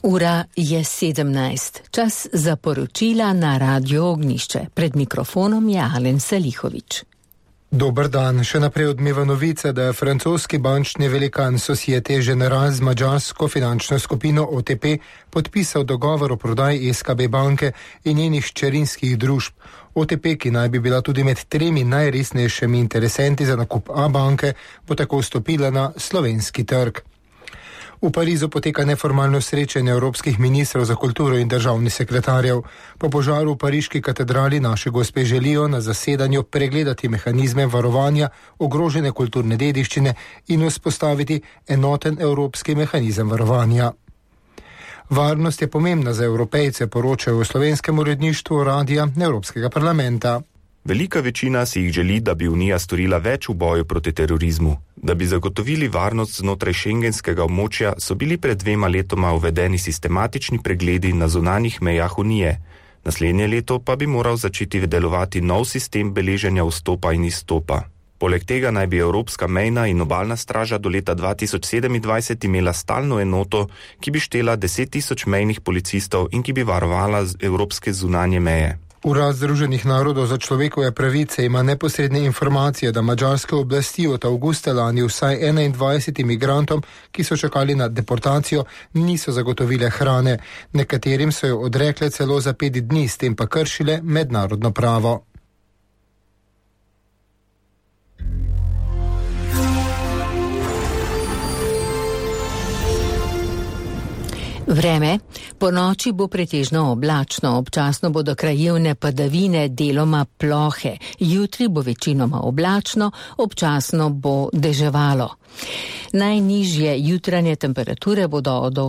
Ura je 17. Čas za poročila na Radio Ognjišče. Pred mikrofonom je Alen Salihovič. Dober dan. Še naprej odmeva novica, da je francoski bančni velikan Societe Generale z madžarsko finančno skupino OTP podpisal dogovor o prodaji SKB banke in njenih hčerinskih družb. OTP, ki naj bi bila tudi med 3 najresnejšimi interesenti za nakup banke, bo tako vstopila na slovenski trg. V Parizu poteka neformalno srečanje evropskih ministrov za kulturo in državnih sekretarjev. Po požaru v pariški katedrali Naše Gospe želijo na zasedanju pregledati mehanizme varovanja ogrožene kulturne dediščine in vzpostaviti enoten evropski mehanizem varovanja. Varnost je pomembna za Evropejce, poročajo v slovenskem uredništvu Radia Evropskega parlamenta. Velika večina si jih želi, da bi Unija storila več v boju proti terorizmu. Da bi zagotovili varnost znotraj šengenskega območja, so bili pred 2 letoma uvedeni sistematični pregledi na zunanjih mejah Unije. Naslednje leto pa bi moral začeti delovati nov sistem beleženja vstopa in izstopa. Poleg tega naj bi Evropska mejna in obalna straža do leta 2027 imela stalno enoto, ki bi štela 10.000 mejnih policistov in ki bi varovala evropske zunanje meje. Urad Združenih narodov za človekove pravice ima neposredne informacije, da madžarske oblasti od avgusta lani vsaj 21 migrantom, ki so čakali na deportacijo, niso zagotovile hrane. Nekaterim so jo odrekle celo za 5 dni, s tem pa kršile mednarodno pravo. Vreme. Po noči bo pretežno oblačno, občasno bodo krajevne padavine, deloma plohe. Jutri bo večinoma oblačno, občasno bo deževalo. Najnižje jutranje temperature bodo od